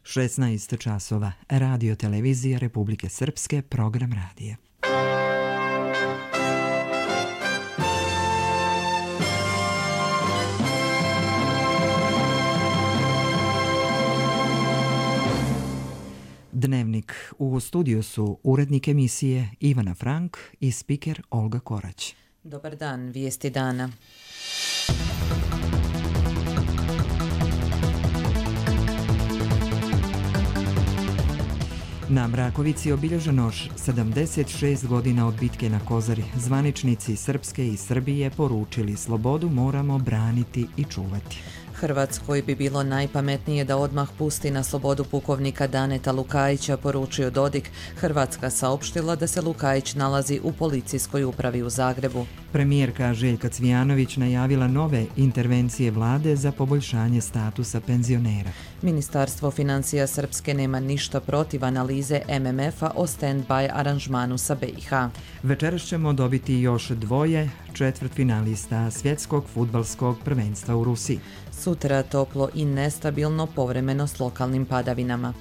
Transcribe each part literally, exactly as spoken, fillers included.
šesnaest časova. Radio Televizija Republike Srpske, program radija. Dnevnik. U studiju su urednik emisije Ivana Frank i spiker Olga Korać. Dobar dan, vijesti dana. Na Mrakovici obilježeno sedamdeset šest godina od bitke na Kozari. Zvaničnici Srpske i Srbije poručili: slobodu moramo braniti i čuvati. Hrvatskoj bi bilo najpametnije da odmah pusti na slobodu pukovnika Daneta Lukajića, poručio Dodik. Hrvatska saopštila da se Lukajić nalazi u policijskoj upravi u Zagrebu. Premijerka Željka Cvijanović najavila nove intervencije vlade za poboljšanje statusa penzionera. Ministarstvo financija Srpske nema ništa protiv analize M M F-a o stand-by aranžmanu sa B i H. Večeras ćemo dobiti još dvoje četvrtfinalista svjetskog fudbalskog prvenstva u Rusiji. Sutra toplo i nestabilno, povremeno s lokalnim padavinama.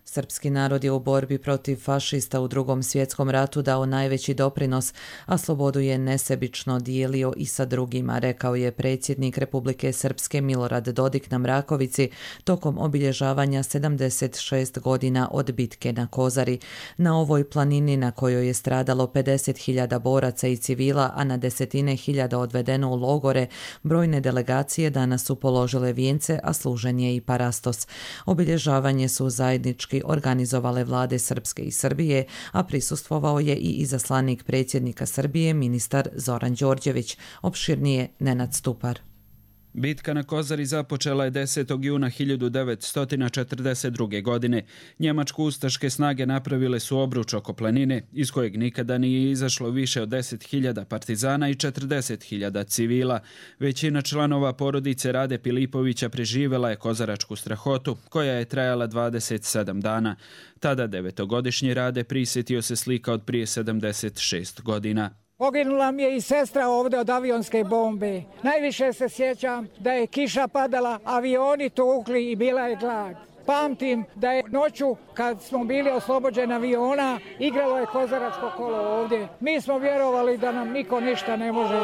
Srpski narod je u borbi protiv fašista u Drugom svjetskom ratu dao najveći doprinos, a slobodu je nesebično dijelio i sa drugima, rekao je predsjednik Republike Srpske Milorad Dodik na Mrakovici tokom obilježavanja sedamdeset šest godina od bitke na Kozari. Na ovoj planini na kojoj je stradalo pedeset hiljada boraca i civila, a na desetine hiljada odvedeno u logore, brojne delegacije danas su položile vijence, a služen je i parastos. Obilježavanje su zajednički organizovale vlade Srpske i Srbije, a prisustvovao je i izaslanik predsjednika Srbije, ministar Zoran Đorđević. Opširnije Nenad Stupar. Bitka na Kozari započela je desetog juna hiljadu devetsto četrdeset druge. godine. Njemačko-ustaške snage napravile su obruč oko planine, iz kojeg nikada nije izašlo više od deset hiljada partizana i četrdeset hiljada civila. Većina članova porodice Rade Pilipovića preživela je kozaračku strahotu, koja je trajala dvadeset sedam dana. Tada devetogodišnji Rade prisjetio se slika od prije sedamdeset šest godina. Poginula mi je i sestra ovdje od avionske bombe. Najviše se sjećam da je kiša padala, avioni tukli i bila je glad. Pamtim da je noću, kad smo bili oslobođeni aviona, igralo je kozaračko kolo ovdje. Mi smo vjerovali da nam niko ništa ne može.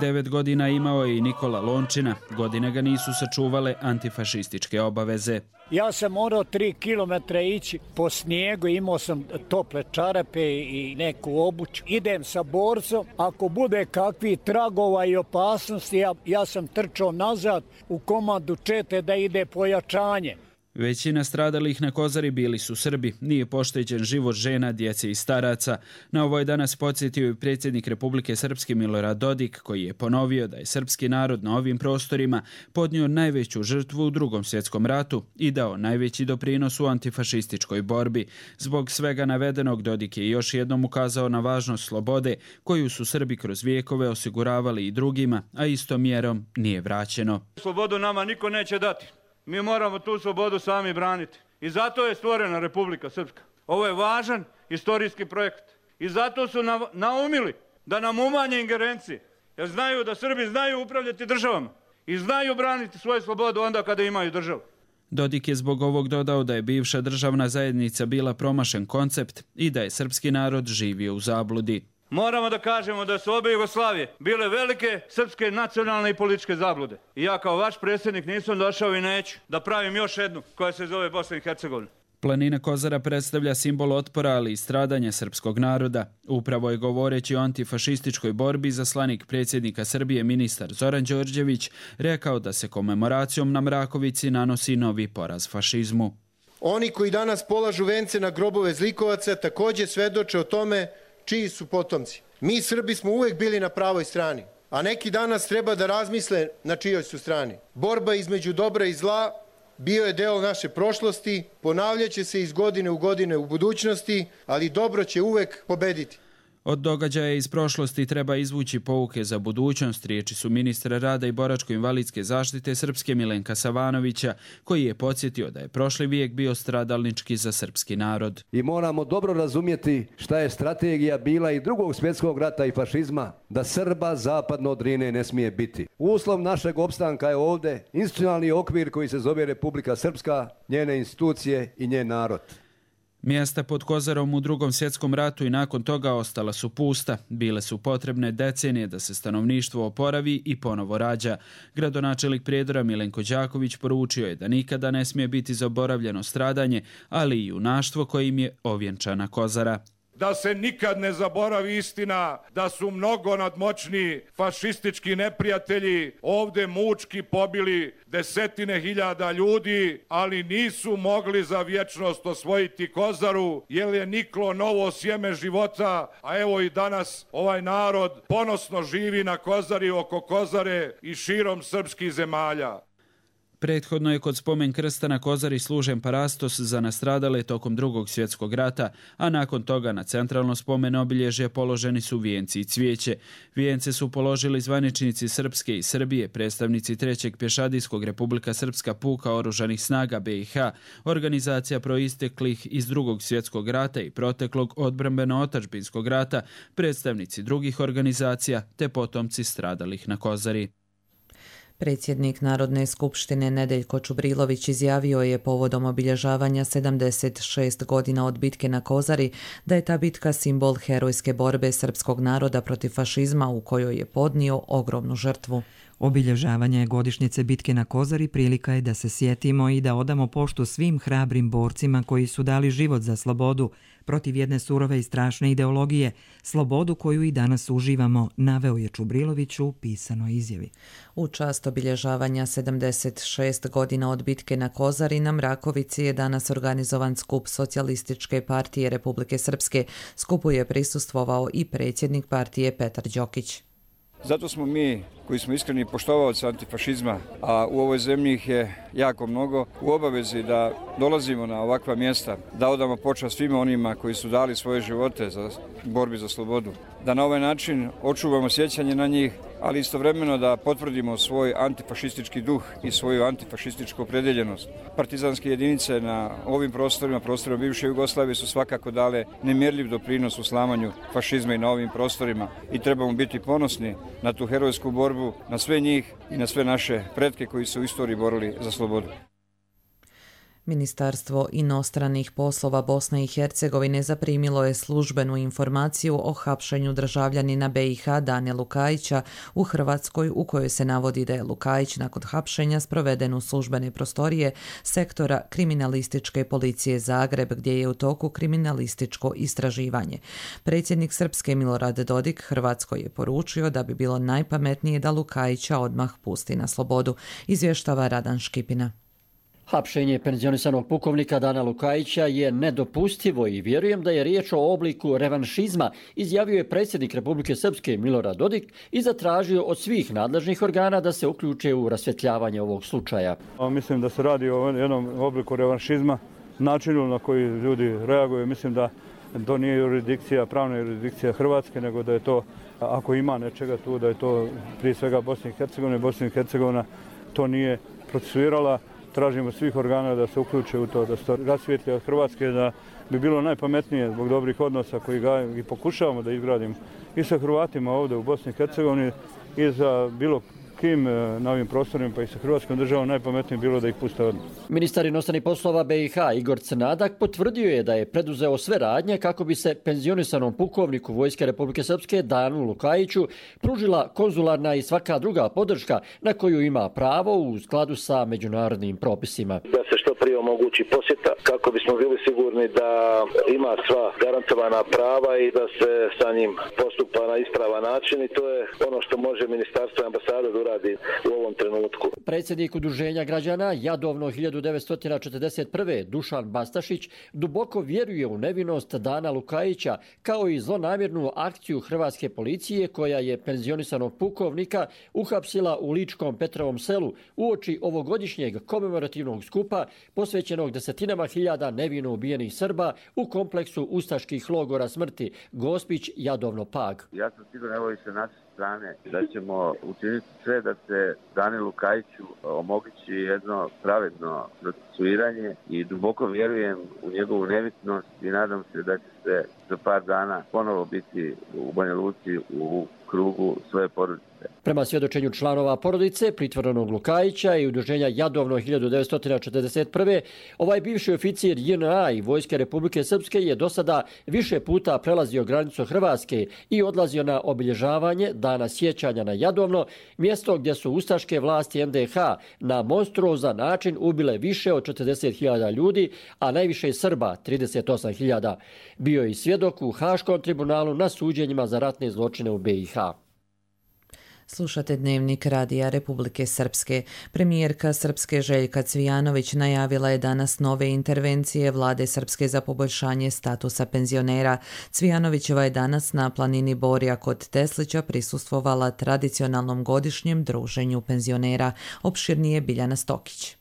Devet godina imao je i Nikola Lončina. Godine ga nisu sačuvale antifašističke obaveze. Ja sam morao tri kilometra ići po snijegu, imao sam tople čarape i neku obuću. Idem sa borcom, ako bude kakvi tragova i opasnosti, ja, ja sam trčao nazad u komandu čete da ide pojačanje. Većina stradalih na Kozari bili su Srbi, nije pošteđen život žena, djece i staraca. Na ovo je danas podsjetio i predsjednik Republike Srpske Milorad Dodik, koji je ponovio da je srpski narod na ovim prostorima podnio najveću žrtvu u Drugom svjetskom ratu i dao najveći doprinos u antifašističkoj borbi. Zbog svega navedenog, Dodik je još jednom ukazao na važnost slobode koju su Srbi kroz vijekove osiguravali i drugima, a istom mjerom nije vraćeno. Slobodu nama niko neće dati. Mi moramo tu slobodu sami braniti. I zato je stvorena Republika Srpska. Ovo je važan istorijski projekt. I zato su naumili da nam umanje ingerencije. Jer znaju da Srbi znaju upravljati državama. I znaju braniti svoju slobodu onda kada imaju državu. Dodik je zbog ovog dodao da je bivša državna zajednica bila promašen koncept i da je srpski narod živio u zabludi. Moramo da kažemo da su obe Jugoslavije bile velike srpske nacionalne i političke zablude. I ja kao vaš predsjednik nisam došao i neću da pravim još jednu koja se zove Bosna i Hercegovina. Planina Kozara predstavlja simbol otpora, ali i stradanja srpskog naroda. Upravo je govoreći o antifašističkoj borbi zaslanik predsjednika Srbije ministar Zoran Đorđević rekao da se komemoracijom na Mrakovici nanosi novi poraz fašizmu. Oni koji danas polažu vence na grobove zlikovaca također svedoče o tome čiji su potomci. Mi Srbi smo uvijek bili na pravoj strani, a neki danas treba da razmisle na čijoj su strani. Borba između dobra i zla bio je deo naše prošlosti, ponavljaće se iz godine u godine u budućnosti, ali dobro će uvijek pobediti. Od događaja iz prošlosti treba izvući pouke za budućnost, riječi su ministra rada i boračko-invalidske zaštite Srpske Milenka Savanovića, koji je podsjetio da je prošli vijek bio stradalnički za srpski narod. I moramo dobro razumjeti šta je strategija bila i drugog svjetskog rata i fašizma, da Srba zapadno od Drine ne smije biti. Uslov našeg opstanka je ovdje institucionalni okvir koji se zove Republika Srpska, njene institucije i njen narod. Mjesta pod Kozarom u drugom svjetskom ratu i nakon toga ostala su pusta. Bile su potrebne decenije da se stanovništvo oporavi i ponovo rađa. Gradonačelnik Prijedora Milenko Đaković poručio je da nikada ne smije biti zaboravljeno stradanje, ali i junaštvo kojim je ovjenčana Kozara. Da se nikad ne zaboravi istina da su mnogo nadmoćni fašistički neprijatelji ovdje mučki pobili desetine hiljada ljudi, ali nisu mogli za vječnost osvojiti Kozaru, jer je niklo novo sjeme života, a evo i danas ovaj narod ponosno živi na Kozari, oko Kozare i širom srpskih zemalja. Prethodno je kod spomen krsta na Kozari služen parastos za nastradale tokom drugog svjetskog rata, a nakon toga na centralno spomen obilježje položeni su vijenci i cvijeće. Vijence su položili zvaničnici Srpske i Srbije, predstavnici trećeg pješadijskog Republika Srpska puka oružanih snaga B i H, organizacija proisteklih iz drugog svjetskog rata i proteklog odbrambeno-otadžbinskog rata, predstavnici drugih organizacija te potomci stradalih na Kozari. Predsjednik Narodne skupštine Nedeljko Čubrilović izjavio je povodom obilježavanja sedamdeset šest godina od bitke na Kozari da je ta bitka simbol herojske borbe srpskog naroda protiv fašizma u kojoj je podnio ogromnu žrtvu. Obilježavanje godišnjice bitke na Kozari prilika je da se sjetimo i da odamo poštu svim hrabrim borcima koji su dali život za slobodu protiv jedne surove i strašne ideologije, slobodu koju i danas uživamo, naveo je Čubrilović u pisanoj izjavi. U čast obilježavanja sedamdeset šest godina od bitke na Kozari na Mrakovici je danas organizovan skup Socijalističke partije Republike Srpske. Skupu je prisustvovao i predsjednik partije Petar Đokić. Zato smo mi, koji smo iskreni poštovaoci antifašizma, a u ovoj zemlji ih je jako mnogo, u obavezi da dolazimo na ovakva mjesta, da odamo počast svima onima koji su dali svoje živote za borbi za slobodu, da na ovaj način očuvamo sjećanje na njih, ali istovremeno da potvrdimo svoj antifašistički duh i svoju antifašističku opredjeljenost. Partizanske jedinice na ovim prostorima, prostorima bivše Jugoslavije, su svakako dale nemjerljiv doprinos u slamanju fašizma i na ovim prostorima i trebamo biti ponosni na tu herojsku borbu, na sve njih i na sve naše pretke koji su u istoriji borili za slobodu. Ministarstvo inostranih poslova Bosne i Hercegovine zaprimilo je službenu informaciju o hapšenju državljanina B i H Dane Lukajića u Hrvatskoj, u kojoj se navodi da je Lukajić nakon hapšenja sproveden u službene prostorije sektora kriminalističke policije Zagreb, gdje je u toku kriminalističko istraživanje. Predsjednik Srpske Milorad Dodik Hrvatskoj je poručio da bi bilo najpametnije da Lukajića odmah pusti na slobodu, izvještava Radan Škipina. Hapšenje penzionisanog pukovnika Dana Lukajića je nedopustivo i vjerujem da je riječ o obliku revanšizma, izjavio je predsjednik Republike Srpske Milorad Dodik i zatražio od svih nadležnih organa da se uključe u rasvjetljavanje ovog slučaja. Mislim da se radi o jednom obliku revanšizma, načinu na koji ljudi reaguju. Mislim da to nije jurisdikcija, pravna jurisdikcija Hrvatske, nego da je to, ako ima nečega tu, da je to prije svega Bosna i Hercegovina. Bosna i Hercegovina to nije procesuirala. Tražimo svih organa da se uključe u to, da se rasvijetlja od Hrvatske, da bi bilo najpametnije zbog dobrih odnosa koji ga i pokušavamo da izgradimo i sa Hrvatima ovdje u Bosni i Hercegovini i za bilo kim na ovim prostorima, pa i sa Hrvatskom državom najpametnije bilo da ih puste odmah. Ministar inostranih poslova B i H Igor Crnadak potvrdio je da je preduzeo sve radnje kako bi se penzionisanom pukovniku Vojske Republike Srpske Danu Lukajiću pružila konzularna i svaka druga podrška na koju ima pravo u skladu sa međunarodnim propisima. Da se što prije omogući posjeta kako bismo bili sigurni da ima sva garantovana prava i da se sa njim postupa na ispravan način i to je ono što može ministarstvo i ambasada da uradi u ovom trenutku. Predsjednik Udruženja građana Jadovno hiljadu devetsto četrdeset prve Dušan Bastašić duboko vjeruje u nevinost Dana Lukajića kao i zlonamjernu akciju hrvatske policije koja je penzionisanog pukovnika uhapsila u Ličkom Petrovom selu uoči ovogodišnjeg komemorativnog skupa posvećenog desetinama hiljada nevino ubijenih Srba u kompleksu ustaških logora smrti Gospić, Jadovno, Pag. Ja sam siguran, evo i sa naše strane, da ćemo učiniti sve da se Danilu Kajiću omogući jedno pravedno procesuiranje i duboko vjerujem u njegovu nevitnost i nadam se da će se za par dana ponovo biti u Banja Luci u krugu svoje porodice. Prema svjedočenju članova porodice pritvorenog Lukajića i udruženja Jadovno hiljadu devetsto četrdeset prve. ovaj bivši oficir J N A i Vojske Republike Srpske je do sada više puta prelazio granicu Hrvatske i odlazio na obilježavanje Dana sjećanja na Jadovno, mjesto gdje su ustaške vlasti N D H na monstruozan način ubile više od četrdeset hiljada ljudi, a najviše Srba, trideset osam hiljada. Bio je i svjedok u Haškom tribunalu na suđenjima za ratne zločine u B i H. Slušate Dnevnik Radija Republike Srpske. Premijerka Srpske Željka Cvijanović najavila je danas nove intervencije Vlade Srpske za poboljšanje statusa penzionera. Cvijanovićeva je danas na planini Borja kod Teslića prisustvovala tradicionalnom godišnjem druženju penzionera. Opširnije Biljana Stokić.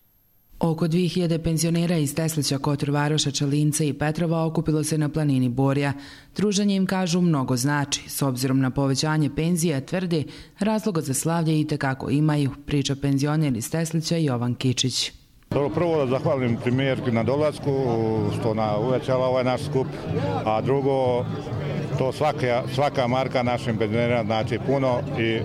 Oko dvije hiljade penzionera iz Teslića, Kotor Varoša, Čalinca i Petrova okupilo se na planini Borja. Druženje im, kažu, mnogo znači. S obzirom na povećanje penzija, tvrde, razloga za slavlje i tekako imaju, priča penzioner iz Teslića Jovan Kičić. Prvo da zahvalim premijerki na dolasku, što ona uvećala ovaj naš skup, a drugo, to svaka, svaka marka našim penzionera znači puno i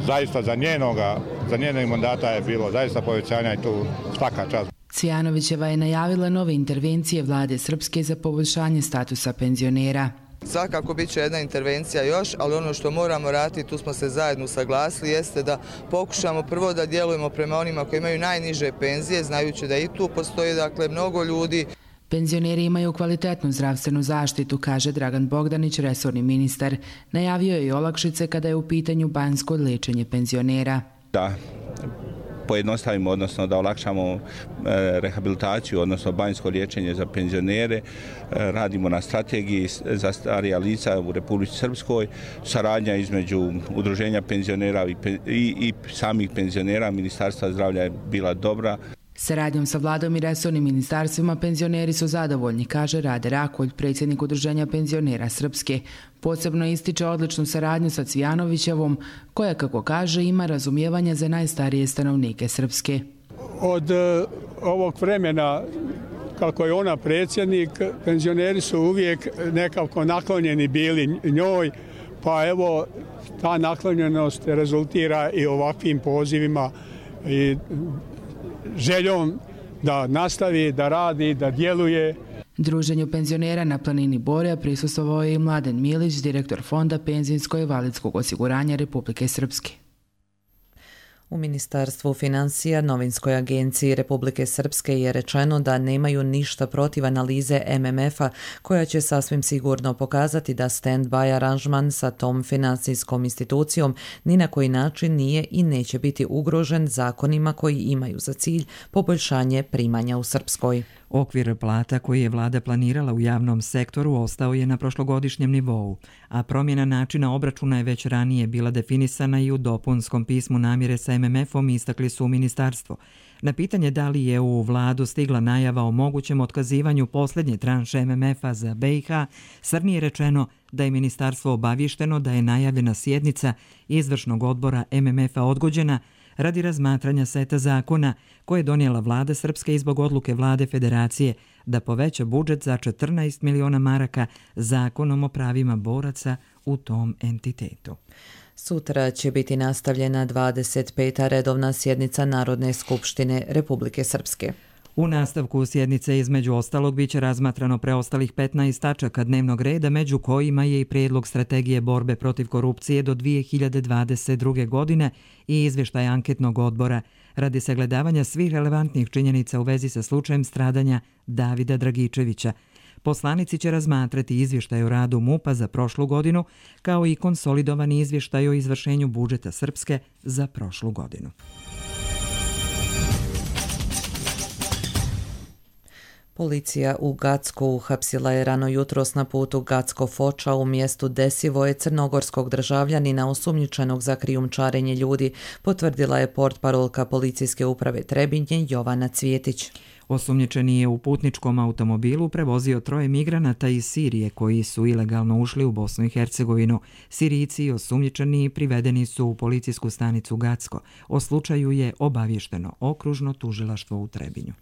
zaista za njenoga, za njenog mandata je bilo zaista povećanja i tu svaka čast. Cvijanovićeva je najavila nove intervencije Vlade Srpske za poboljšanje statusa penzionera. Svakako bit će jedna intervencija još, ali ono što moramo raditi, tu smo se zajedno saglasili, jeste da pokušamo prvo da djelujemo prema onima koji imaju najniže penzije, znajući da i tu postoji dakle mnogo ljudi. Penzioneri imaju kvalitetnu zdravstvenu zaštitu, kaže Dragan Bogdanić, resorni ministar. Najavio je i olakšice kada je u pitanju banjsko liječenje penzionera. Da pojednostavimo, odnosno da olakšamo rehabilitaciju, odnosno banjsko liječenje za penzionere. Radimo na strategiji za starija lica u Republici Srpskoj. Saradnja između udruženja penzionera i, i, i samih penzionera Ministarstva zdravlja je bila dobra. Saradnjom sa vladom i resornim ministarstvima penzioneri su zadovoljni, kaže Rade Rakolj, predsjednik udruženja penzionera Srpske. Posebno ističe odličnu saradnju sa Cvijanovićevom, koja, kako kaže, ima razumijevanja za najstarije stanovnike Srpske. Od uh, ovog vremena, kako je ona predsjednik, penzioneri su uvijek nekako naklonjeni bili njoj, pa evo ta naklonjenost rezultira i ovakvim pozivima i željom da nastavi, da radi, da djeluje. Druženju penzionera na planini Borja prisustvovao je i Mladen Milić, direktor Fonda penzijskog i invalidskog osiguranja Republike Srpske. U Ministarstvu financija Novinskoj agenciji Republike Srpske je rečeno da nemaju ništa protiv analize M M F-a koja će sasvim sigurno pokazati da stand-by aranžman sa tom financijskom institucijom ni na koji način nije i neće biti ugrožen zakonima koji imaju za cilj poboljšanje primanja u Srpskoj. Okvir plata koji je vlada planirala u javnom sektoru ostao je na prošlogodišnjem nivou, a promjena načina obračuna je već ranije bila definisana i u dopunskom pismu namjere sa M M F-om, istakli su u ministarstvu. Na pitanje da li je u vladu stigla najava o mogućem otkazivanju posljednje tranše M M F-a za B i H, Srni je rečeno da je ministarstvo obavješteno da je najavljena sjednica izvršnog odbora M M F-a odgođena radi razmatranja seta zakona koje je donijela vlada Srpske i zbog odluke vlade Federacije da poveća budžet za četrnaest miliona maraka zakonom o pravima boraca u tom entitetu. Sutra će biti nastavljena dvadeset peta redovna sjednica Narodne skupštine Republike Srpske. U nastavku sjednice između ostalog biće razmatrano preostalih petnaest tačaka dnevnog reda, među kojima je i prijedlog strategije borbe protiv korupcije do dvije hiljade dvadeset druge. godine i izvještaj anketnog odbora radi sagledavanja svih relevantnih činjenica u vezi sa slučajem stradanja Davida Dragičevića. Poslanici će razmatrati izvještaj o radu M U P-a za prošlu godinu, kao i konsolidovani izvještaj o izvršenju budžeta Srpske za prošlu godinu. Policija u Gacku uhapsila je rano jutros na putu Gacko-Foča u mjestu Desivoje crnogorskog državljanina osumnjičenog za krijumčarenje ljudi, potvrdila je portparolka policijske uprave Trebinje Jovana Cvjetić. Osumnjičeni je u putničkom automobilu prevozio troje migranata iz Sirije koji su ilegalno ušli u Bosnu i Hercegovinu. Sirijci i osumnjičeni privedeni su u policijsku stanicu Gacko. O slučaju je obavješteno okružno tužilaštvo u Trebinju.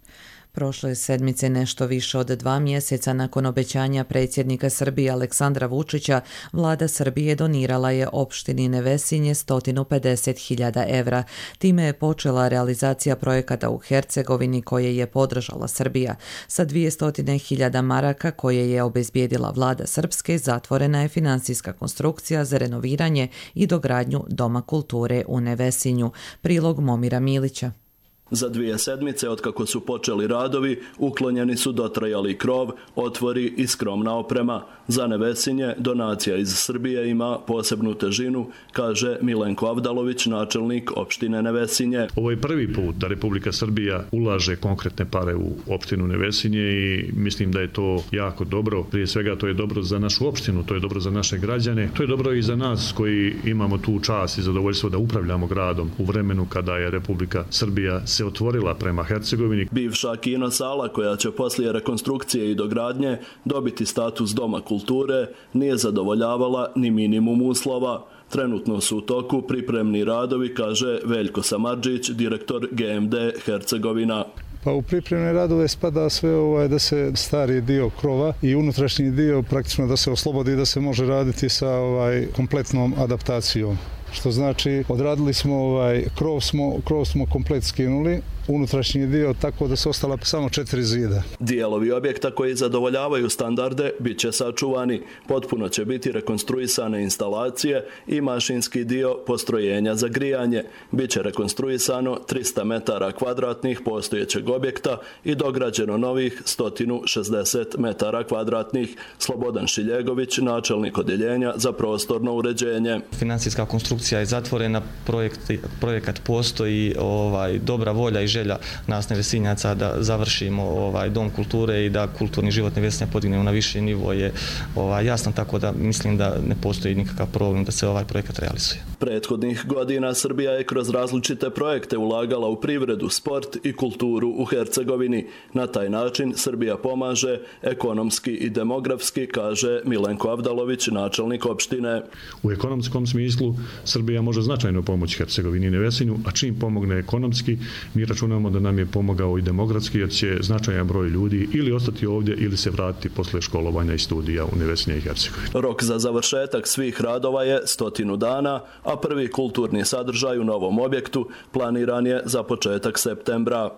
Prošle sedmice, nešto više od dva mjeseca nakon obećanja predsjednika Srbije Aleksandra Vučića, vlada Srbije donirala je opštini Nevesinje sto pedeset hiljada evra. Time je počela realizacija projekata u Hercegovini koje je podržala Srbija. Sa dvjesto hiljada maraka koje je obezbijedila vlada Srpske, zatvorena je financijska konstrukcija za renoviranje i dogradnju Doma kulture u Nevesinju. Prilog Momira Milića. Za dvije sedmice otkako su počeli radovi, uklonjeni su dotrajali krov, otvori i skromna oprema. Za Nevesinje donacija iz Srbije ima posebnu težinu, kaže Milenko Avdalović, načelnik opštine Nevesinje. Ovo je prvi put da Republika Srbija ulaže konkretne pare u opštinu Nevesinje i mislim da je to jako dobro. Prije svega to je dobro za našu opštinu, to je dobro za naše građane, to je dobro i za nas koji imamo tu čast i zadovoljstvo da upravljamo gradom u vremenu kada je Republika Srbija se otvorila prema Hercegovini. Bivša kino sala koja će poslije rekonstrukcije i dogradnje dobiti status Doma kulture nije zadovoljavala ni minimum uslova. Trenutno su u toku pripremni radovi, kaže Veljko Samardžić, direktor G M D Hercegovina. Pa u pripremne radove spada sve ovaj da se stari dio krova i unutrašnji dio praktično da se oslobodi, da se može raditi sa ovaj kompletnom adaptacijom. Što znači, odradili smo ovaj krov smo krov smo komplet skinuli, unutrašnji dio tako da se ostala samo četiri zida. Dijelovi objekta koji zadovoljavaju standarde bit će sačuvani. Potpuno će biti rekonstruisane instalacije i mašinski dio postrojenja za grijanje. Biće rekonstruisano trista metara kvadratnih postojećeg objekta i dograđeno novih sto šezdeset metara kvadratnih. Slobodan Šiljegović, načelnik odjeljenja za prostorno uređenje. Financijska konstrukcija je zatvorena, projekt, projekat postoji, ovaj, dobra volja i želja nas Nevesinjaca da završimo ovaj dom kulture i da kulturni život Nevesinja podignemo na viši nivo je ovaj, jasno, tako da mislim da ne postoji nikakav problem da se ovaj projekat realizuje. Prethodnih godina Srbija je kroz različite projekte ulagala u privredu, sport i kulturu u Hercegovini. Na taj način Srbija pomaže ekonomski i demografski, kaže Milenko Avdalović, načelnik opštine. U ekonomskom smislu Srbija može značajno pomoći Hercegovini i Nevesinju, a čim pomogne ekonomski, mi računamo da nam je pomogao i demografski, jer će značajan broj ljudi ili ostati ovdje ili se vratiti posle školovanja i studija u Nevesinje i Hercegovini. Rok za završetak svih radova je stotinu dana, a prvi kulturni sadržaj u novom objektu planiran je za početak septembra.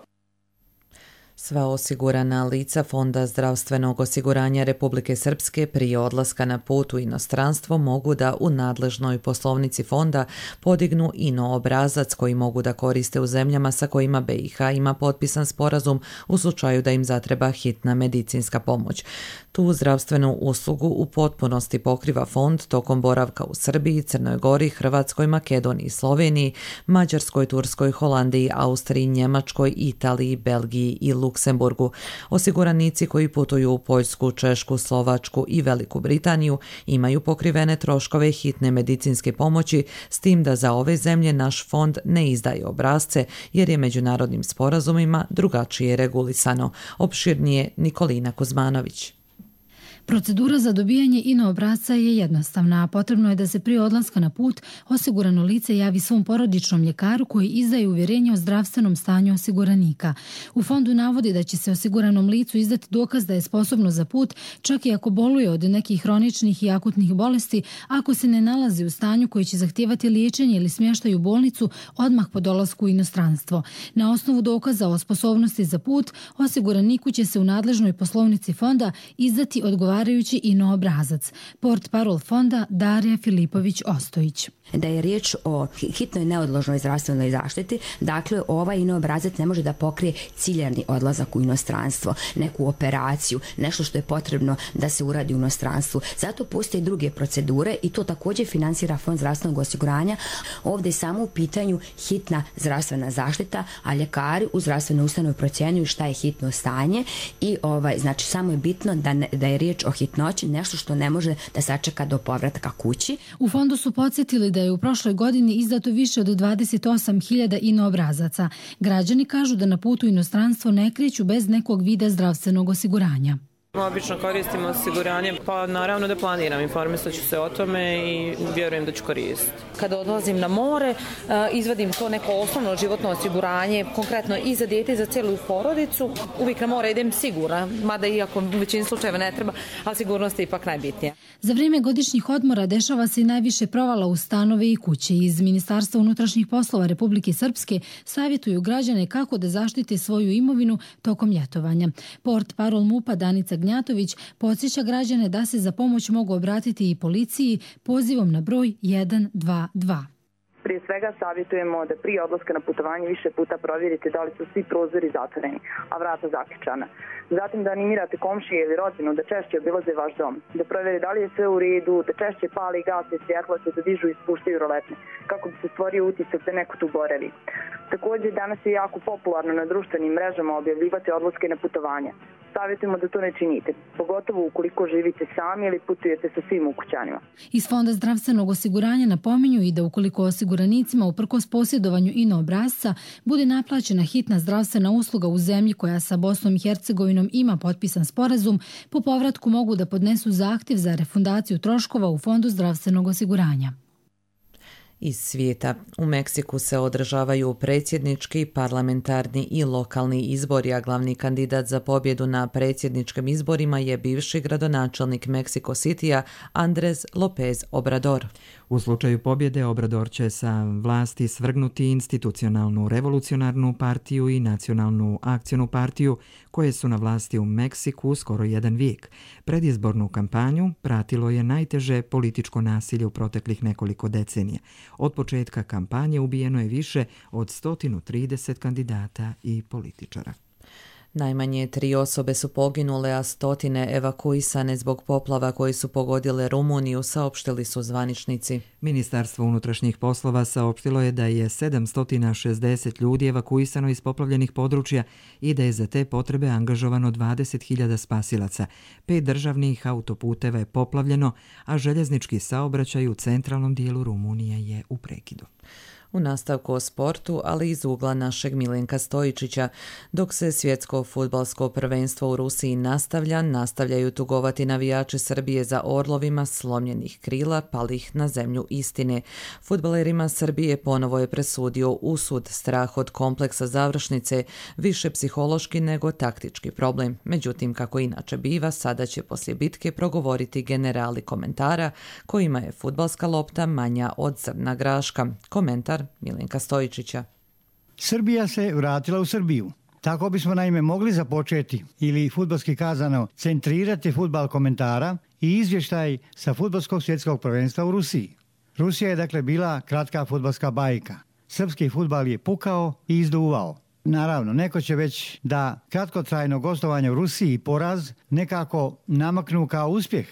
Sva osigurana lica Fonda zdravstvenog osiguranja Republike Srpske prije odlaska na put u inostranstvo mogu da u nadležnoj poslovnici fonda podignu I N O obrazac koji mogu da koriste u zemljama sa kojima B I H ima potpisan sporazum u slučaju da im zatreba hitna medicinska pomoć. Tu zdravstvenu uslugu u potpunosti pokriva fond tokom boravka u Srbiji, Crnoj Gori, Hrvatskoj, Makedoniji, Sloveniji, Mađarskoj, Turskoj, Holandiji, Austriji, Njemačkoj, Italiji, Belgiji i Luksemburgu. Osiguranici koji putuju u Poljsku, Češku, Slovačku i Veliku Britaniju imaju pokrivene troškove hitne medicinske pomoći, s tim da za ove zemlje naš fond ne izdaje obrasce jer je međunarodnim sporazumima drugačije regulisano. Opširnije Nikolina Kuzmanović. Procedura za dobijanje I N O obrasca je jednostavna, a potrebno je da se prije odlaska na put osigurano lice javi svom porodičnom ljekaru koji izdaje uvjerenje o zdravstvenom stanju osiguranika. U fondu navodi da će se osiguranom licu izdati dokaz da je sposobno za put, čak i ako boluje od nekih hroničnih i akutnih bolesti, ako se ne nalazi u stanju koji će zahtijevati liječenje ili smještaj u bolnicu odmah po dolasku u inostranstvo. Na osnovu dokaza o sposobnosti za put, osiguraniku će se u nadležnoj poslovnici fonda izdati odgovarajući odgovarajući ino obrazac. Port parol fonda Darija Filipović-Ostojić. Da je riječ o hitnoj neodložnoj zdravstvenoj zaštiti, dakle ovaj ino obrazac ne može da pokrije ciljani odlazak u inostranstvo, neku operaciju, nešto što je potrebno da se uradi u inostranstvu. Zato postoje druge procedure i to također finansira Fond zdravstvenog osiguranja. Ovdje je samo u pitanju hitna zdravstvena zaštita, a ljekari u zdravstvenoj ustanovi procjenjuju šta je hitno stanje i ovaj, znači samo je bitno da, ne, da je riječ o hitnoći, nešto što ne može da sačeka do povratka kući. U fondu su podsjetili da je u prošloj godini izdato više od dvadeset osam hiljada ino obrazaca. Građani kažu da na putu u inostranstvo ne kreću bez nekog vida zdravstvenog osiguranja. Obično koristimo osiguranje, pa naravno da planiram, informisat ću se o tome i vjerujem da ću koristiti. Kada odlazim na more, izvadim to neko osnovno životno osiguranje, konkretno i za dijete i za cijelu porodicu. Uvijek na more idem sigurna, mada iako u većini slučajeva ne treba, ali sigurnost je ipak najbitnija. Za vrijeme godišnjih odmora dešava se i najviše provala u stanove i kuće. Iz Ministarstva unutrašnjih poslova Republike Srpske savjetuju građane kako da zaštite svoju imovinu tokom ljetovanja. Port parol MUP-a Danica Gnjatović podsjeća građane da se za pomoć mogu obratiti i policiji pozivom na broj jedan dva dva. Prije svega savjetujemo da prije odlaska na putovanje više puta provjerite da li su svi prozori zatvoreni, a vrata zaključana. Zatim da animirate komšije ili rodbinu da češće obilaze vaš dom, da provjere da li je sve u redu, da češće pali i gase svjetlo, te da dižu i spuštaju roletne, kako bi se stvorio utisak da neko tu boravi. Također danas je jako popularno na društvenim mrežama objavljivati odlaske na putovanja. Savjetujemo da to ne činite, pogotovo ukoliko živite sami ili putujete sa svim ukućanima. Iz Fonda zdravstvenog osiguranja napominju i da ukoliko osiguranicima uprkos posjedovanju ino obrazca bude naplaćena hitna zdravstvena usluga u zemlji koja sa Bosnom i Hercegovinom ima potpisan sporazum, po povratku mogu da podnesu zahtjev za refundaciju troškova u Fondu zdravstvenog osiguranja. Iz svijeta. U Meksiku se održavaju predsjednički, parlamentarni i lokalni izbori, a glavni kandidat za pobjedu na predsjedničkim izborima je bivši gradonačelnik Mexico Citya Andrés López Obrador. U slučaju pobjede Obrador će sa vlasti svrgnuti institucionalnu revolucionarnu partiju i nacionalnu akcionu partiju koje su na vlasti u Meksiku skoro jedan vijek. Predizbornu kampanju pratilo je najteže političko nasilje u proteklih nekoliko decenija. Od početka kampanje ubijeno je više od sto trideset kandidata i političara. Najmanje tri osobe su poginule, a stotine evakuisane zbog poplava koji su pogodile Rumuniju, saopštili su zvaničnici. Ministarstvo unutrašnjih poslova saopštilo je da je sedamsto šezdeset ljudi evakuisano iz poplavljenih područja i da je za te potrebe angažovano dvadeset hiljada spasilaca. Pet državnih autoputeva je poplavljeno, a željeznički saobraćaj u centralnom dijelu Rumunije je u prekidu. U nastavku o sportu, ali iz ugla našeg Milenka Stojičića. Dok se svjetsko fudbalsko prvenstvo u Rusiji nastavlja, nastavljaju tugovati navijači Srbije za orlovima slomljenih krila palih na zemlju istine. Fudbalerima Srbije ponovo je presudio usud, strah od kompleksa završnice, više psihološki nego taktički problem. Međutim, kako inače biva, sada će poslije bitke progovoriti generali komentara kojima je fudbalska lopta manja od zrna graška. Komentar Milenka Stojičića. Srbija se vratila u Srbiju. Tako bismo naime mogli započeti ili fudbalski kazano centrirati fudbal komentara i izvještaj sa fudbalskog svjetskog prvenstva u Rusiji. Rusija je dakle bila kratka fudbalska bajka. Srpski fudbal je pukao i izduvao. Naravno, neko će već da kratkotrajno gostovanje u Rusiji i poraz nekako namaknu kao uspjeh.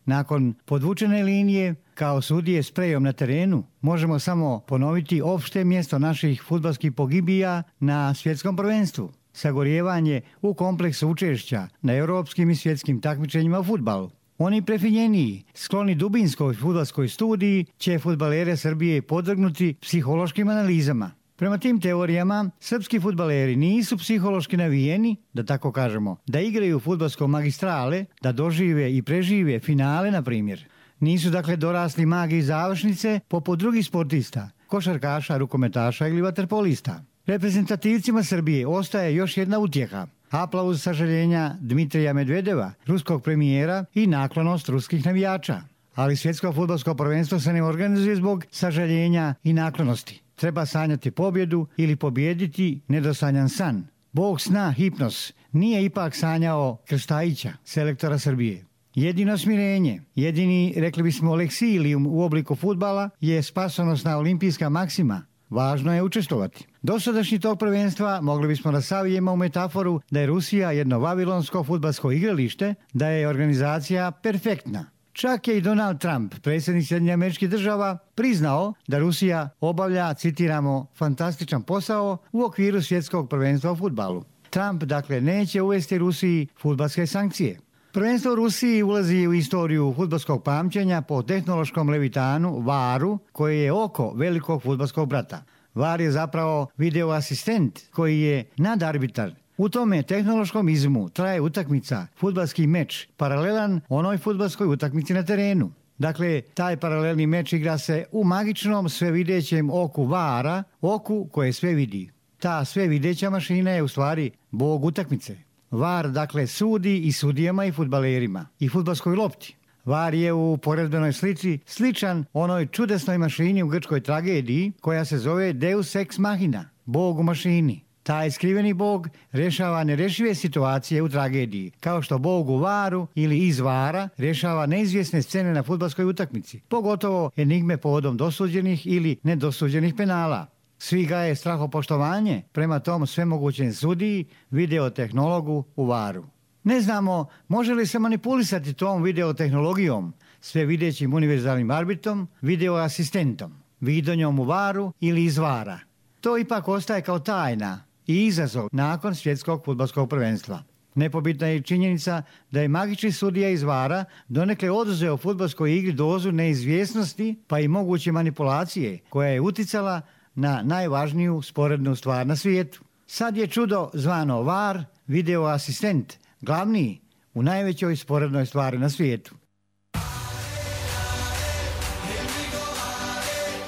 Nakon podvučene linije, kao sudije s prejom na terenu, možemo samo ponoviti opšte mjesto naših fudbalskih pogibija na svjetskom prvenstvu. Sagorijevanje u kompleksu učešća na europskim i svjetskim takmičenjima u fudbalu. Oni prefinjeniji, skloni dubinskoj fudbalskoj studiji, će fudbalere Srbije podvrgnuti psihološkim analizama. Prema tim teorijama, srpski fudbaleri nisu psihološki navijeni, da tako kažemo, da igraju fudbalsko magistrale, da dožive i prežive finale, na primjer. Nisu dakle dorasli magiji završnice poput drugih sportista, košarkaša, rukometaša ili vaterpolista. Reprezentativcima Srbije ostaje još jedna utjeha. Aplauz sažaljenja Dmitrija Medvedeva, ruskog premijera i naklonost ruskih navijača. Ali svjetsko fudbalsko prvenstvo se ne organizuje zbog sažaljenja i naklonosti. Treba sanjati pobjedu ili pobijediti nedosanjan san. Bog sna Hipnos nije ipak sanjao Krstajića, selektora Srbije. Jedino smirenje, jedini, rekli bismo, leksilijum u obliku fudbala je spasonosna olimpijska maksima. Važno je učestvovati. Dosadašnji tog prvenstva mogli bismo da savijemo u metaforu da je Rusija jedno vavilonsko fudbalsko igralište, da je organizacija perfektna. Čak je i Donald Trump, predsjednik Sjedinjenih Američkih Država, priznao da Rusija obavlja, citiramo, fantastičan posao u okviru svjetskog prvenstva u fudbalu. Trump, dakle, neće uvesti Rusiji fudbalske sankcije. Prvenstvo u Rusiji ulazi u istoriju fudbalskog pamćenja po tehnološkom levitanu V A R-u, koji je oko velikog fudbalskog brata. V A R je zapravo video asistent koji je nadarbitar. U tome tehnološkom izmu traje utakmica, fudbalski meč, paralelan onoj fudbalskoj utakmici na terenu. Dakle, taj paralelni meč igra se u magičnom svevidećem oku V A R-a, oku koje sve vidi. Ta svevideća mašina je u stvari bog utakmice. V A R, dakle, sudi i sudijama i fudbalerima i fudbalskoj lopti. V A R je u poredbenoj slici sličan onoj čudesnoj mašini u grčkoj tragediji koja se zove Deus ex machina, bog u mašini. Taj skriveni bog rješava nerešive situacije u tragediji, kao što bog u V A R-u ili iz V A R-a rješava neizvjesne scene na fudbalskoj utakmici, pogotovo enigme povodom dosuđenih ili nedosuđenih penala. Svi gaje strahopoštovanje prema tom svemogućem sudiji, videotehnologu u V A R-u. Ne znamo može li se manipulisati tom videotehnologijom, sve videćim univerzalnim arbitrom, videoasistentom, vidonjom u V A R-u ili iz V A R-a. To ipak ostaje kao tajna i izazov nakon svjetskog fudbalskog prvenstva. Nepobitna je činjenica da je magični sudija iz V A R-a donekle oduzeo fudbalskoj igri dozu neizvjesnosti pa i moguće manipulacije koja je uticala na najvažniju sporednu stvar na svijetu. Sad je čudo zvano V A R, video asistent, glavni u najvećoj sporednoj stvari na svijetu.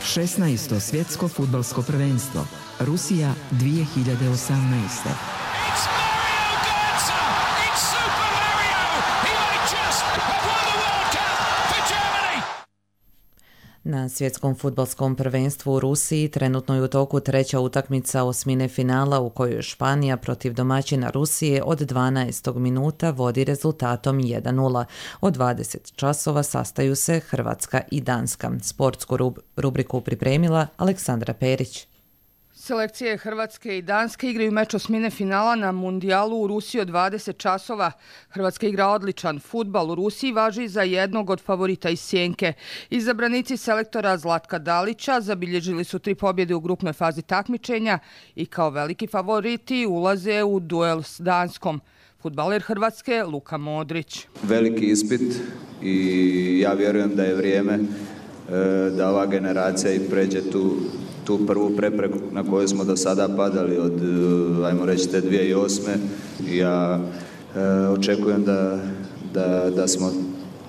šesnaesto svjetsko fudbalsko prvenstvo. Rusija dvije hiljade osamnaeste. Na svjetskom fudbalskom prvenstvu u Rusiji trenutno je u toku treća utakmica osmine finala u kojoj Španija protiv domaćina Rusije od dvanaestog minuta vodi rezultatom jedan nula. Od dvadeset časova sastaju se Hrvatska i Danska. Sportsku rubriku pripremila Aleksandra Perić. Selekcije Hrvatske i Danske igraju meč osmine finala na mundijalu u Rusiji od dvadeset časova. Hrvatska igra odličan fudbal u Rusiji, važi za jednog od favorita iz Sjenke. Izabranici selektora Zlatka Dalića zabilježili su tri pobjede u grupnoj fazi takmičenja i kao veliki favoriti ulaze u duel s Danskom. Fudbaler Hrvatske Luka Modrić. Veliki ispit i ja vjerujem da je vrijeme da ova generacija i pređe tu tu prvu prepreku na koju smo do sada padali od, ajmo reći, te dvije tisuće osme. Ja e, očekujem da, da, da smo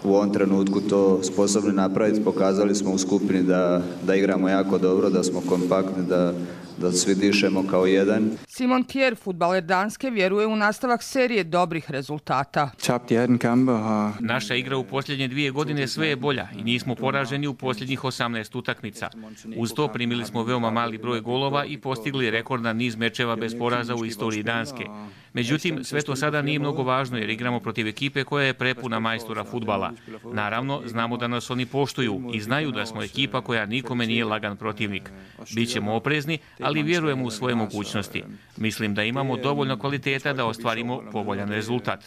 u ovom trenutku to sposobni napraviti. Pokazali smo u skupini da, da igramo jako dobro, da smo kompaktni, da, da svi dišemo kao jedan. Simon Kjær, fudbaler Danske, vjeruje u nastavak serije dobrih rezultata. Naša igra u posljednje dvije godine sve je bolja i nismo poraženi u posljednjih osamnaest utakmica. Uz to primili smo veoma mali broj golova i postigli rekordan niz mečeva bez poraza u istoriji Danske. Međutim, sve to sada nije mnogo važno jer igramo protiv ekipe koja je prepuna majstora fudbala. Naravno, znamo da nas oni poštuju i znaju da smo ekipa koja nikome nije lagan protivnik. Bićemo oprezni, ali vjerujemo u svoje mogućnosti. Mislim da imamo dovoljno kvaliteta da ostvarimo povoljan rezultat.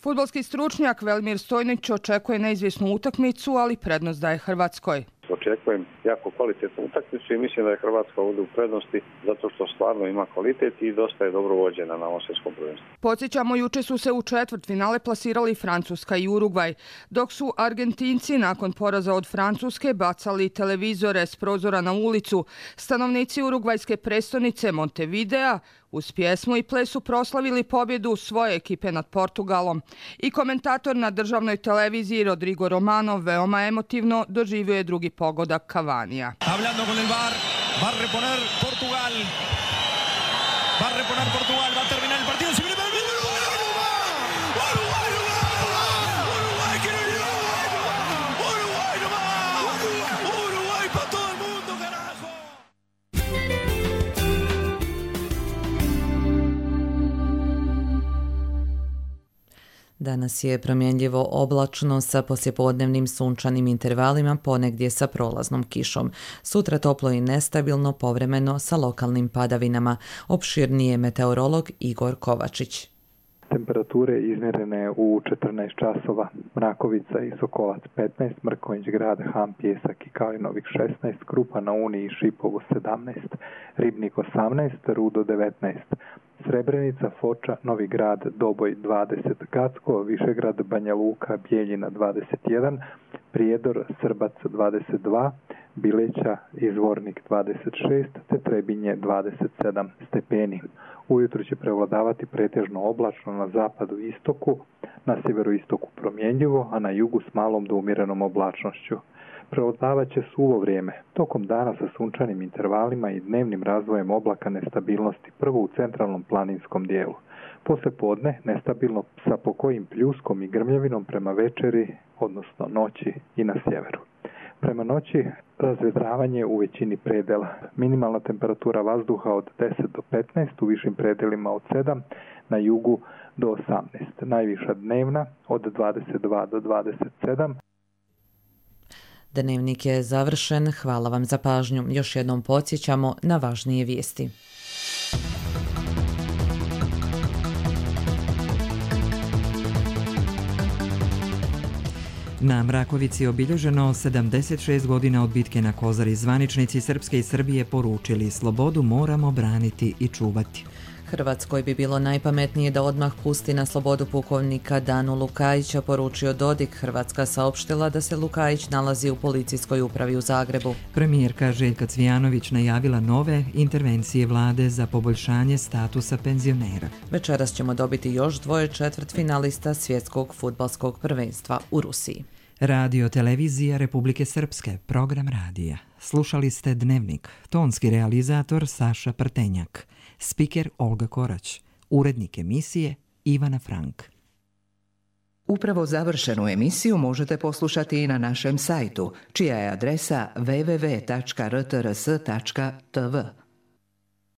Fudbalski stručnjak Velimir Stojnić očekuje neizvjesnu utakmicu, ali prednost daje Hrvatskoj. Očekujem jako kvalitetnu utakmicu i mislim da je Hrvatska ovdje u prednosti zato što stvarno ima kvalitet i dosta je dobro vođena na ovom svjetskom prvenstvu. Podsjećamo, juče su se u četvrtfinale plasirali Francuska i Urugvaj, dok su Argentinci nakon poraza od Francuske bacali televizore s prozora na ulicu. Stanovnici urugvajske prestonice Montevidea uz pjesmu i ples su proslavili pobjedu svoje ekipe nad Portugalom. I komentator na državnoj televiziji Rodrigo Romano veoma emotivno doživio je drugi pogodak Cavanija. Hablando con el V A R, va a reponer Portugal. Va a reponer Portugal, va a terminar el partido. Se viene para el Danas je promjenljivo oblačno sa poslijepodnevnim sunčanim intervalima, ponegdje sa prolaznom kišom. Sutra toplo i nestabilno, povremeno sa lokalnim padavinama. Opširnije meteorolog Igor Kovačić. Temperature izmjerene u četrnaest časova, Mrakovica i Sokolac petnaest, Mrkonjić Grad, Ham, Pjesak i Kalinovik šesnaest, Krupa na Uni i Šipovo sedamnaest, Ribnik osamnaest, Rudo devetnaest, Srebrenica, Foča, Novi Grad, Doboj dvadeset, Gacko, Višegrad, Banja Luka, Bijeljina dvadeset jedan, Prijedor, Srbac dvadeset dva, Bileća i Zvornik dvadeset šest, te Trebinje dvadeset sedam stepeni. Ujutro će prevladavati pretežno oblačno na zapadu i istoku, na sjeveroistoku promjenljivo, a na jugu s malom do umjerenom oblačnošću. Prevladavat će suvo vrijeme, tokom dana sa sunčanim intervalima i dnevnim razvojem oblaka nestabilnosti, prvo u centralnom planinskom dijelu. Poslije podne nestabilno sa pokojim pljuskom i grmljavinom prema večeri, odnosno noći i na sjeveru. Prema noći razvedravanje u većini predela. Minimalna temperatura vazduha od deset do petnaest, u višim predelima od sedam, na jugu do osamnaest. Najviša dnevna od dvadeset dva do dvadeset sedam. Dnevnik je završen. Hvala vam za pažnju. Još jednom podsjećamo na važnije vijesti. Na Mrakovici obilježeno sedamdeset šest godina od bitke na Kozari. Zvaničnici Srpske i Srbije poručili: slobodu moramo braniti i čuvati. Hrvatskoj bi bilo najpametnije da odmah pusti na slobodu pukovnika Danu Lukajića, poručio Dodik. Hrvatska saopštila da se Lukajić nalazi u policijskoj upravi u Zagrebu. Premijerka Željka Cvijanović najavila nove intervencije vlade za poboljšanje statusa penzionera. Večeras ćemo dobiti još dvoje četvrtfinalista svjetskog fudbalskog prvenstva u Rusiji. Radio televizija Republike Srpske, program radija. Slušali ste Dnevnik, tonski realizator Saša Prtenjak, spiker Olga Korać, urednik emisije Ivana Frank. Upravo završenu emisiju možete poslušati i na našem sajtu, čija je adresa w w w tačka r t r s tačka t v.